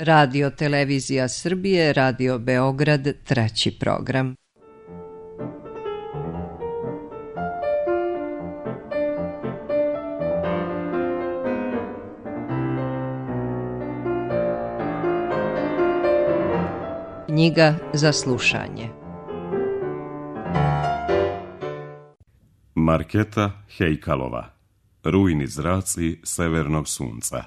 Radio Televizija Srbije, Radio Beograd, 3. program. Knjiga za slušanje. Marketa Hejkalova. Rujni zraci severnog sunca.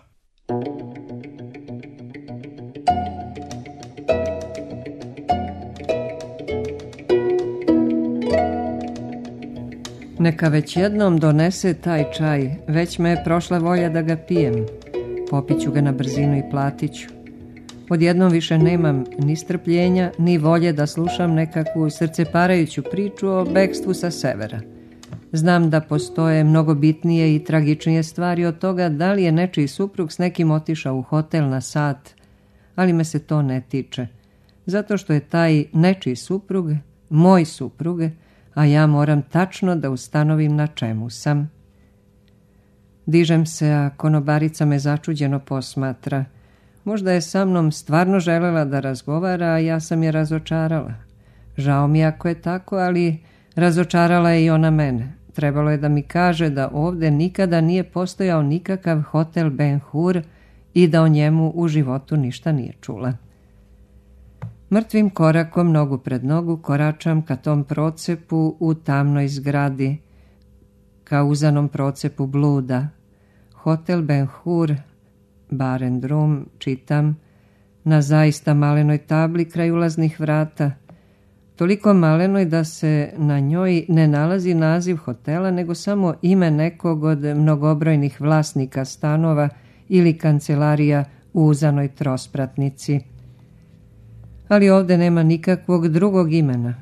Neka već jednom donese taj čaj, već me je prošla volja da ga pijem. Popiću ga na brzinu i platiću. Odjednom više nemam ni strpljenja, ni volje da slušam nekakvu srceparajuću priču o bekstvu sa severa. Znam da postoje mnogo bitnije i tragičnije stvari od toga da li je nečiji suprug s nekim otišao u hotel na sat, ali me se to ne tiče. Zato što je taj nečiji suprug moj suprug, a ja moram tačno da ustanovim na čemu sam. Dižem se, a konobarica me začuđeno posmatra. Možda je sa mnom stvarno želela da razgovara, a ja sam je razočarala. Žao mi ako je tako, ali razočarala je i ona mene. Trebalo je da mi kaže da ovde nikada nije postojao nikakav hotel Ben Hur i da o njemu u životu ništa nije čula. Mrtvim korakom, nogu pred nogu, koračam ka tom procepu u tamnoj zgradi, ka uzanom procepu bluda. Hotel Ben Hur, bar and room, čitam, na zaista malenoj tabli kraj ulaznih vrata. Toliko malenoj da se na njoj ne nalazi naziv hotela, nego samo ime nekog od mnogobrojnih vlasnika stanova ili kancelarija u uzanoj trospratnici. Ali ovde nema nikakvog drugog imena.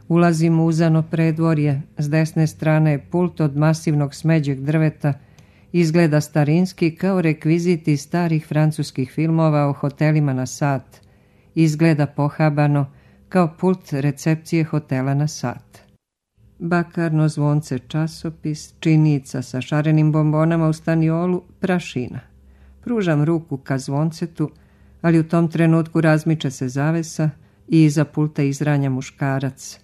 Ulazim u uzano predvorje, s desne strane je pult od masivnog smeđeg drveta, izgleda starinski kao rekviziti starih francuskih filmova o hotelima na sat. Izgleda pohabano kao pult recepcije hotela na sat. Bakarno zvonce časopis, činica sa šarenim bombonama u staniolu, prašina. Pružam ruku ka zvoncetu, ali u tom trenutku razmiče se zavesa i iza pulta izranja muškarac.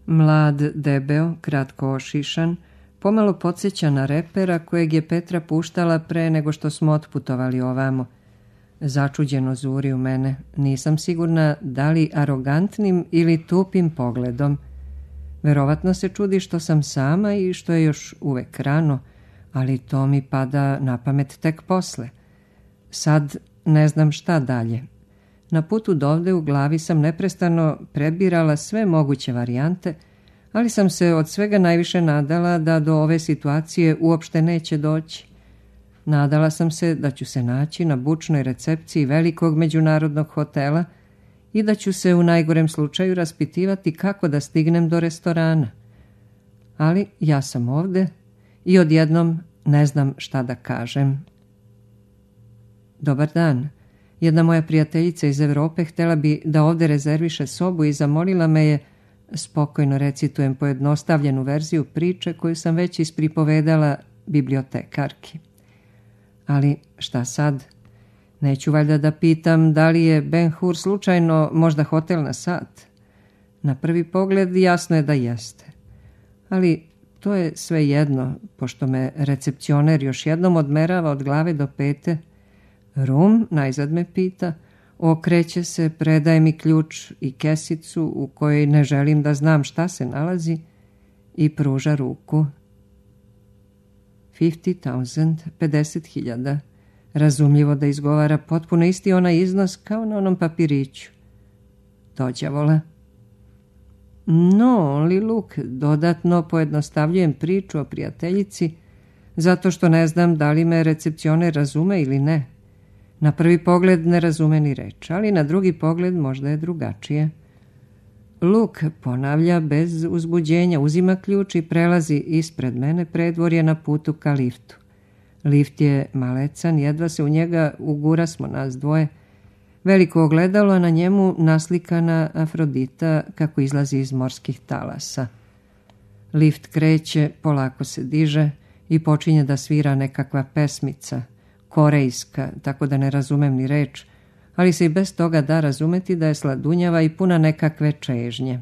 Mlad, debeo, kratko ošišan, pomalo podsjeća na repera kojeg je Petra puštala pre nego što smo otputovali ovamo. Začuđeno zuri u mene. Nisam sigurna da li arogantnim ili tupim pogledom. Verovatno se čudi što sam sama i što je još uvek rano, ali to mi pada na pamet tek posle. Sad ne znam šta dalje. Na putu dovde u glavi sam neprestano prebirala sve moguće varijante, ali sam se od svega najviše nadala da do ove situacije uopšte neće doći. Nadala sam se da ću se naći na bučnoj recepciji velikog međunarodnog hotela i da ću se u najgorem slučaju raspitivati kako da stignem do restorana. Ali ja sam ovde i odjednom ne znam šta da kažem. Dobar dan. Jedna moja prijateljica iz Evrope htjela bi da ovde rezerviše sobu i zamolila me je, spokojno recitujem pojednostavljenu verziju priče koju sam već ispripovedala bibliotekarki. Ali šta sad? Neću valjda da pitam da li je Ben Hur slučajno možda hotel na sat? Na prvi pogled jasno je da jeste. Ali to je sve jedno, pošto me recepcioner još jednom odmerava od glave do pete. Rum, najzad me pita, okreće se, predaje mi ključ i kesicu u kojoj ne želim da znam šta se nalazi i pruža ruku. 50,000, 50.000. Razumljivo da izgovara potpuno isti onaj iznos kao na onom papiriću. Dođavola. No, only look, dodatno pojednostavljujem priču o prijateljici, zato što ne znam da li me recepcioner razume ili ne. Na prvi pogled ne razume ni reč, ali na drugi pogled možda je drugačije. Luk ponavlja bez uzbuđenja, uzima ključ i prelazi ispred mene predvorje na putu ka liftu. Lift je malecan, jedva se u njega ugurasmo nas dvoje. Veliko ogledalo, a na njemu naslikana Afrodita kako izlazi iz morskih talasa. Lift kreće, polako se diže i počinje da svira nekakva pesmica, korejska, tako da ne razumem ni reč, ali se i bez toga da razumeti da je sladunjava i puna nekakve čežnje.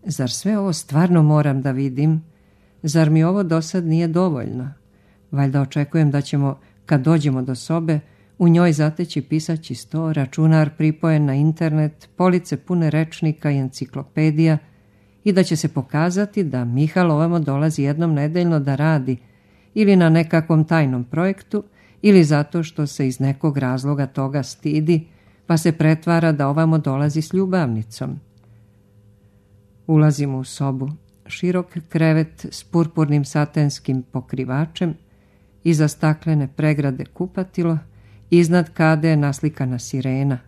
Zar sve ovo stvarno moram da vidim? Zar mi ovo dosad nije dovoljno? Valjda očekujem da ćemo, kad dođemo do sobe, u njoj zateći pisaći sto, računar pripojen na internet, police pune rečnika i enciklopedija i da će se pokazati da Mihal ovamo dolazi jednom nedeljno da radi ili na nekakvom tajnom projektu ili zato što se iz nekog razloga toga stidi pa se pretvara da ovamo dolazi s ljubavnicom. Ulazimo u sobu, širok krevet s purpurnim satenskim pokrivačem, iza staklene pregrade kupatilo, iznad kade je naslikana sirena,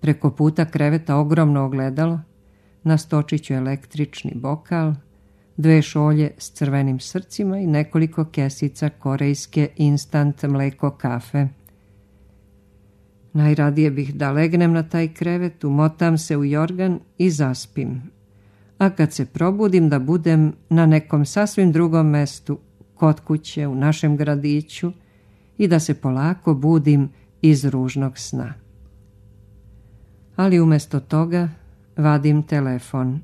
preko puta kreveta ogromno ogledalo, na stočiću električni bokal, 2 šolje s crvenim srcima i nekoliko kesica korejske instant mleko kafe. Najradije bih da legnem na taj krevet, umotam se u jorgan i zaspim. A kad se probudim da budem na nekom sasvim drugom mestu, kod kuće, u našem gradiću i da se polako budim iz ružnog sna. Ali umjesto toga vadim telefon.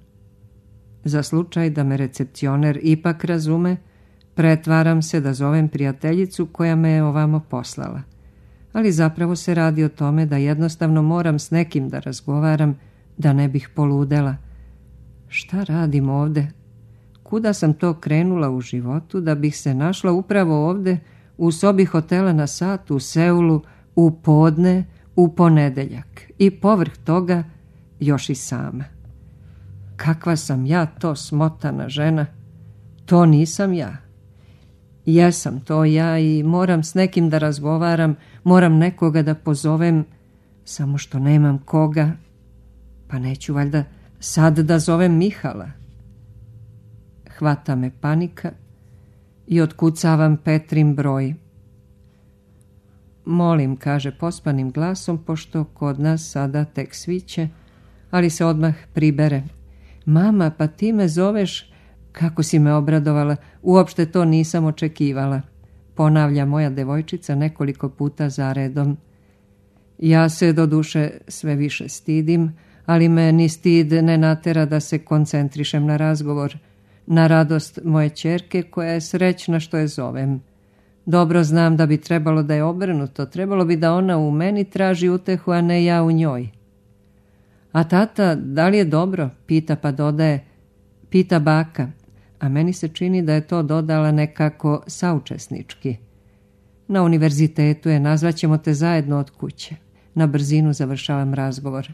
Za slučaj da me recepcioner ipak razume, pretvaram se da zovem prijateljicu koja me je ovamo poslala. Ali zapravo se radi o tome da jednostavno moram s nekim da razgovaram, da ne bih poludela. Šta radim ovde? Kuda sam to krenula u životu da bih se našla upravo ovde u sobi hotela na sat u Seulu u podne u ponedeljak i povrh toga još i sama. Kakva sam ja to smotana žena? To nisam ja. Jesam to ja i moram s nekim da razgovaram, moram nekoga da pozovem, samo što nemam koga. Pa neću valjda sad da zovem Mihala. Hvata me panika i otkucavam Petrin broj. Molim, kaže pospanim glasom, pošto kod nas sada tek sviće, ali se odmah pribere. Mama, pa ti me zoveš? Kako si me obradovala, uopšte to nisam očekivala, ponavlja moja devojčica nekoliko puta zaredom. Ja se doduše sve više stidim, ali me ni stid ne natera da se koncentrišem na razgovor, na radost moje ćerke koja je srećna što je zovem. Dobro znam da bi trebalo da je obrnuto, trebalo bi da ona u meni traži utehu, a ne ja u njoj. A tata, da li je dobro? Pita pa dodaje, pita baka, a meni se čini da je to dodala nekako saučesnički. Na univerzitetu je, nazvaćemo te zajedno od kuće. Na brzinu završavam razgovor.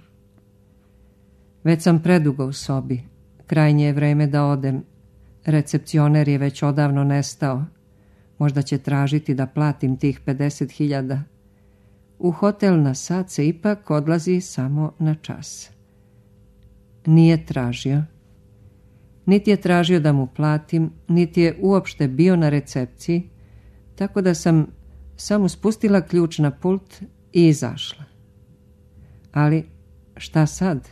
Već sam predugo u sobi. Krajnje je vreme da odem. Recepcioner je već odavno nestao. Možda će tražiti da platim tih 50.000. U hotel na sat se ipak odlazi samo na čas. Nije tražio. Niti je tražio da mu platim, niti je uopšte bio na recepciji, tako da sam samo spustila ključ na pult i izašla. Ali šta sad?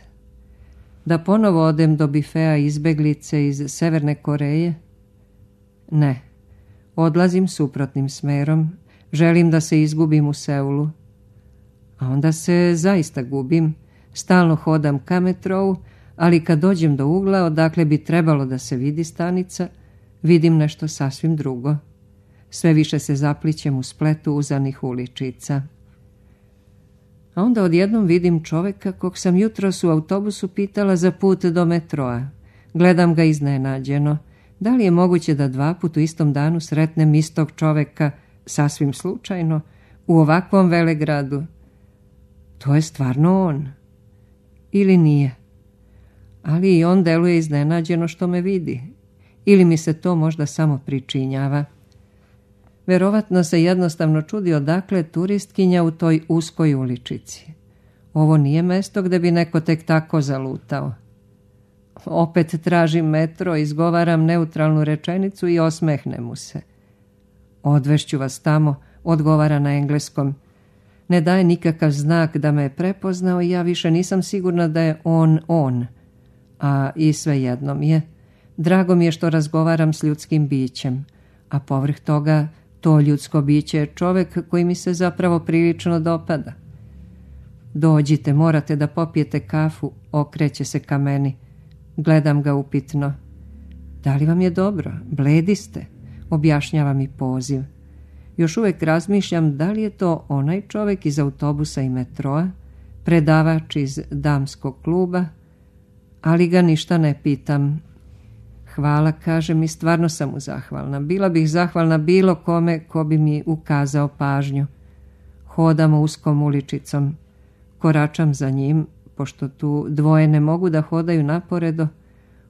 Da ponovo odem do bifea izbeglice iz Severne Koreje? Ne, odlazim suprotnim smerom, želim da se izgubim u Seulu. A onda se zaista gubim, stalno hodam ka metrou, ali kad dođem do ugla odakle bi trebalo da se vidi stanica, vidim nešto sasvim drugo. Sve više se zaplićem u spletu uzanih uličica. A onda odjednom vidim čoveka kog sam jutros u autobusu pitala za put do metroa. Gledam ga iznenađeno. Da li je moguće da 2 puta u istom danu sretnem istog čoveka sasvim slučajno u ovakvom velegradu? To je stvarno on. Ili nije? Ali i on deluje iznenađeno što me vidi. Ili mi se to možda samo pričinjava. Verovatno se jednostavno čudi odakle turistkinja u toj uskoj uličici. Ovo nije mesto gde bi neko tek tako zalutao. Opet tražim metro, izgovaram neutralnu rečenicu i osmehne mu se. Odvešću vas tamo, odgovara na engleskom. Ne daje nikakav znak da me je prepoznao i ja više nisam sigurna da je on. A i svejedno mi je. Drago mi je što razgovaram s ljudskim bićem, a povrh toga to ljudsko biće je čovek koji mi se zapravo prilično dopada. Dođite, morate da popijete kafu, okreće se ka meni. Gledam ga upitno. Da li vam je dobro? Bledi ste, objašnjava mi poziv. Još uvijek razmišljam da li je to onaj čovjek iz autobusa i metroa, predavač iz damskog kluba, ali ga ništa ne pitam. Hvala, kažem, i stvarno sam mu zahvalna. Bila bih zahvalna bilo kome ko bi mi ukazao pažnju. Hodamo uskom uličicom. Koračam za njim, pošto tu dvoje ne mogu da hodaju naporedo.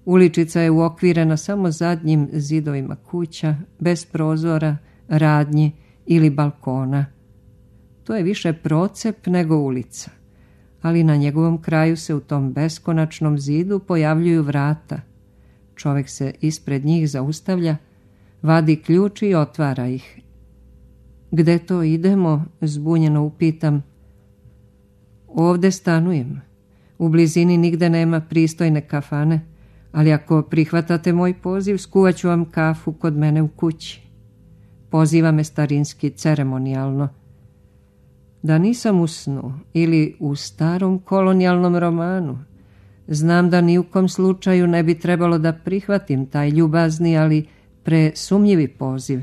Uličica je uokvirena samo zadnjim zidovima kuća, bez prozora, radnji ili balkona. To je više procep nego ulica, ali na njegovom kraju se u tom beskonačnom zidu pojavljuju vrata. Čovjek se ispred njih zaustavlja, vadi ključ i otvara ih. Gde to idemo? Zbunjeno upitam. Ovde stanujem. U blizini nigde nema pristojne kafane, ali ako prihvatate moj poziv, skuvaću vam kafu kod mene u kući. Poziva me starinski, ceremonijalno. Da nisam u snu ili u starom kolonijalnom romanu, znam da ni u kom slučaju ne bi trebalo da prihvatim taj ljubazni, ali presumnjivi poziv.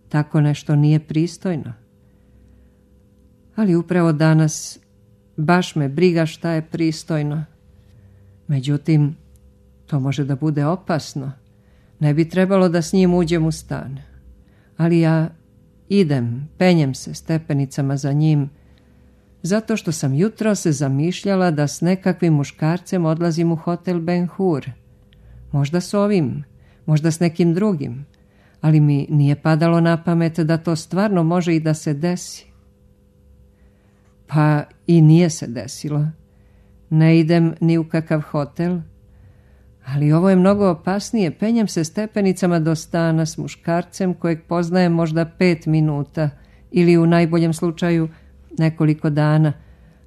Tako nešto nije pristojno. Ali upravo danas baš me briga šta je pristojno. Međutim, to može da bude opasno. Ne bi trebalo da s njim uđem u stan. Ali ja idem, penjem se stepenicama za njim, zato što sam jutro se zamišljala da s nekakvim muškarcem odlazim u hotel Ben Hur. Možda s ovim, možda s nekim drugim, ali mi nije padalo na pamet da to stvarno može i da se desi. Pa i nije se desilo. Ne idem ni u kakav hotel, ali ovo je mnogo opasnije. Penjem se stepenicama do stana s muškarcem kojeg poznajem možda 5 minuta ili u najboljem slučaju nekoliko dana,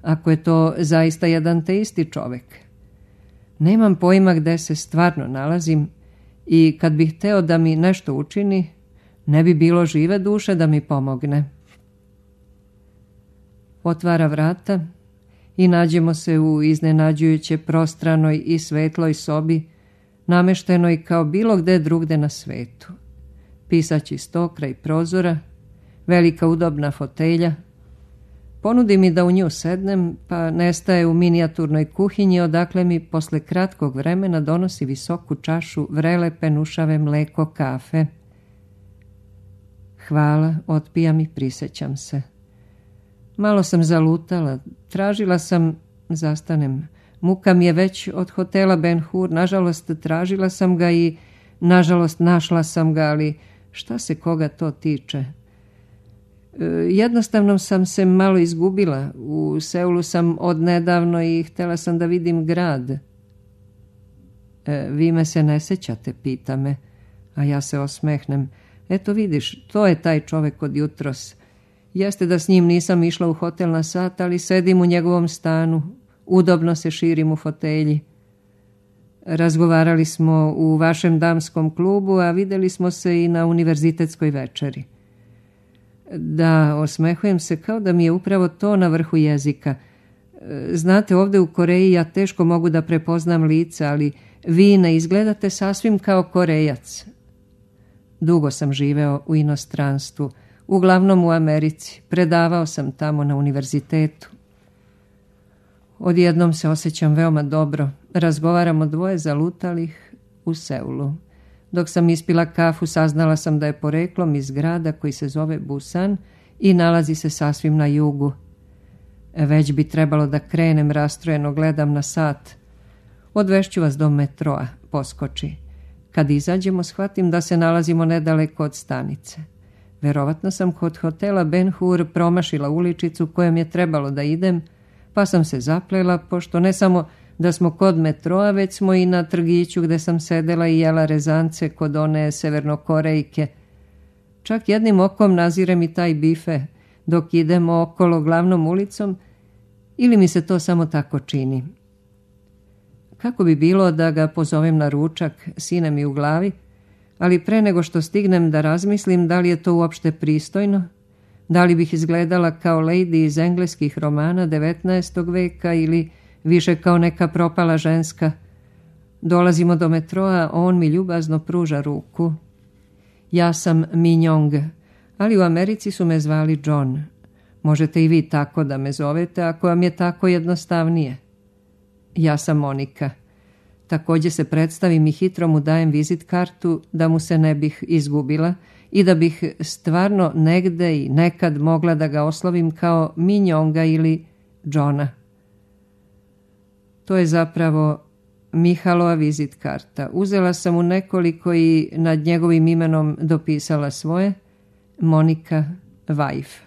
ako je to zaista jedan te isti čovjek. Nemam pojma gde se stvarno nalazim i kad bih hteo da mi nešto učini, ne bi bilo žive duše da mi pomogne. Otvara vrata i nađemo se u iznenađujuće prostranoj i svetloj sobi, nameštenoj kao bilo gde drugde na svetu. Pisaći sto kraj prozora, velika udobna fotelja. Ponudi mi da u nju sednem, pa nestaje u minijaturnoj kuhinji, odakle mi posle kratkog vremena donosi visoku čašu vrele penušave mleko kafe. Hvala, otpijam i prisjećam se. Malo sam zalutala, tražila sam, zastanem. Muka mi je već od hotela Ben Hur, nažalost tražila sam ga i nažalost našla sam ga, ali šta se koga to tiče? Jednostavno sam se malo izgubila. U Seulu sam odnedavno i htjela sam da vidim grad. Vi me se ne sećate, pita me, a ja se osmehnem. Eto vidiš, to je taj čovjek od jutros. Jeste da s njim nisam išla u hotel na sat, ali sedim u njegovom stanu, udobno se širim u fotelji. Razgovarali smo u vašem damskom klubu, a vidjeli smo se i na univerzitetskoj večeri. Da, osmehujem se kao da mi je upravo to na vrhu jezika. Znate, ovdje u Koreji ja teško mogu da prepoznam lice, ali vi ne izgledate sasvim kao Korejac. Dugo sam živeo u inostranstvu, uglavnom u Americi. Predavao sam tamo na univerzitetu. Odjednom se osjećam veoma dobro. Razgovaramo dvoje zalutalih u Seulu. Dok sam ispila kafu, saznala sam da je poreklom iz grada koji se zove Busan i nalazi se sasvim na jugu. Već bi trebalo da krenem, rastrojeno gledam na sat. Odvešću vas do metroa, poskoči. Kad izađemo, shvatim da se nalazimo nedaleko od stanice. Verovatno sam kod hotela Ben Hur promašila uličicu kojom je trebalo da idem, pa sam se zaplela, pošto ne samo da smo kod metroa, već smo i na trgiću gde sam sedela i jela rezance kod one severnokorejke. Čak jednim okom nazirem i taj bife dok idemo okolo glavnom ulicom, ili mi se to samo tako čini. Kako bi bilo da ga pozovem na ručak, sine mi u glavi, ali pre nego što stignem da razmislim da li je to uopšte pristojno, Da li bih izgledala kao lady iz engleskih romana 19. veka ili više kao neka propala ženska? Dolazimo do metroa, on mi ljubazno pruža ruku. Ja sam Minjong, ali u Americi su me zvali John. Možete i vi tako da me zovete ako vam je tako jednostavnije. Ja sam Monika. Također se predstavim i hitro mu dajem vizit kartu da mu se ne bih izgubila i da bih stvarno negde i nekad mogla da ga oslovim kao Minjonga ili Johna. To je zapravo Mihalova vizit karta. Uzela sam mu nekoliko i nad njegovim imenom dopisala svoje, Monika Wife.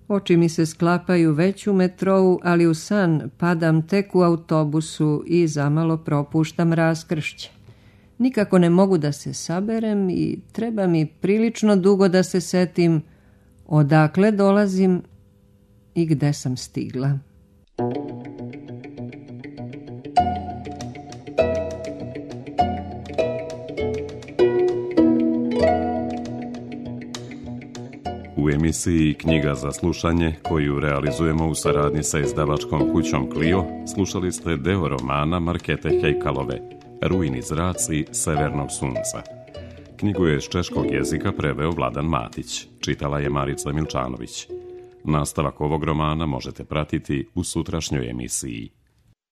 Oči mi se sklapaju već u metrou, ali u san padam tek u autobusu i zamalo propuštam raskršće. Nikako ne mogu da se saberem i treba mi prilično dugo da se setim odakle dolazim i gde sam stigla. U emisiji Knjiga za slušanje, koju realizujemo u saradnji sa izdavačkom kućom Clio, slušali ste deo romana Markete Hejkalove, Rujni zraci severnog sunca. Knjigu je iz češkog jezika preveo Vladan Matić, čitala je Marica Milčanović. Nastavak ovog romana možete pratiti u sutrašnjoj emisiji.